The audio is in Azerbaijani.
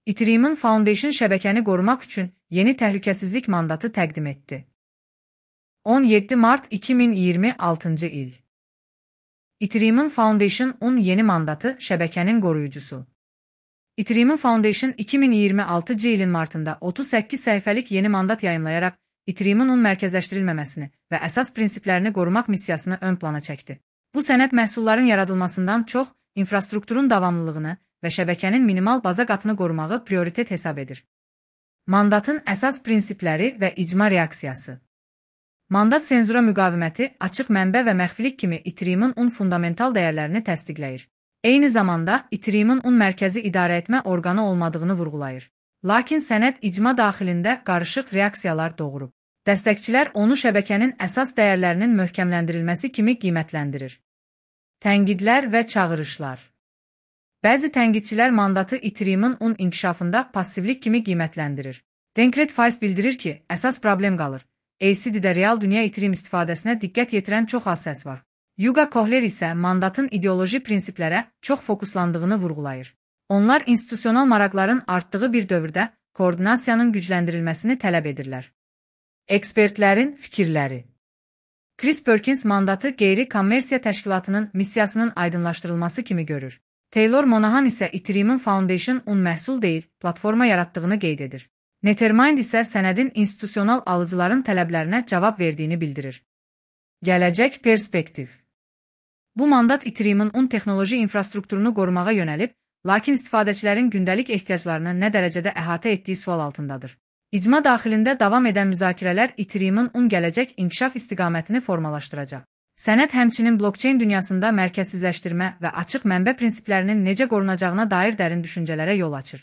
Ethereum Foundation şəbəkəni qorumaq üçün yeni təhlükəsizlik mandatı təqdim etdi. 17 Mart 2026 il. Ethereum Foundation'un yeni mandatı şəbəkənin qoruyucusu. Ethereum Foundation 2026 ilin martında 38 səhifəlik yeni mandat yayımlayaraq Ethereum-un mərkəzləşdirilməməsini və əsas prinsiplərini qorumaq missiyasını ön plana çəkdi. Bu sənəd məhsulların yaradılmasından çox, infrastrukturun davamlılığını və şəbəkənin minimal baza qatını qorumağı prioritet hesab edir. Mandatın əsas prinsipləri və icma reaksiyası. Mandat senzura müqaviməti, açıq mənbə və məxfilik kimi Ethereum-un fundamental dəyərlərini təsdiqləyir. Eyni zamanda Ethereum-un mərkəzi idarəetmə orqanı olmadığını vurğulayır. Lakin sənəd icma daxilində qarışıq reaksiyalar doğurub. Dəstəkçilər onu şəbəkənin əsas dəyərlərinin möhkəmləndirilməsi kimi qiymətləndirir. Tənqidlər və çağırışlar. Bəzi tənqidçilər mandatı Ethereum-un inkişafında passivlik kimi qiymətləndirir. Denkret bildirir ki, əsas problem qalır. ACD-də real dünya Ethereum istifadəsinə diqqət yetirən çox az səs var. Yuga Kohler isə mandatın ideoloji prinsiplərə çox fokuslandığını vurğulayır. Onlar institusional maraqların artdığı bir dövrdə koordinasiyanın gücləndirilməsini tələb edirlər. Ekspertlərin fikirləri. Chris Perkins mandatı qeyri-kommersiya təşkilatının missiyasının aydınlaşdırılması kimi görür. Taylor Monahan isə Ethereum Foundation-un məhsul deyil, platforma yaratdığını qeyd edir. Nethermind isə sənədin institusional alıcıların tələblərinə cavab verdiyini bildirir. Gələcək perspektiv. Bu mandat Ethereum-un texnoloji infrastrukturunu qorumağa yönəlib, lakin istifadəçilərin gündəlik ehtiyaclarını nə dərəcədə əhatə etdiyi sual altındadır. İcma daxilində davam edən müzakirələr Ethereum-un gələcək inkişaf istiqamətini formalaşdıracaq. Sənəd həmçinin blockchain dünyasında mərkəzsizləşdirmə və açıq mənbə prinsiplərinin necə qorunacağına dair dərin düşüncələrə yol açır.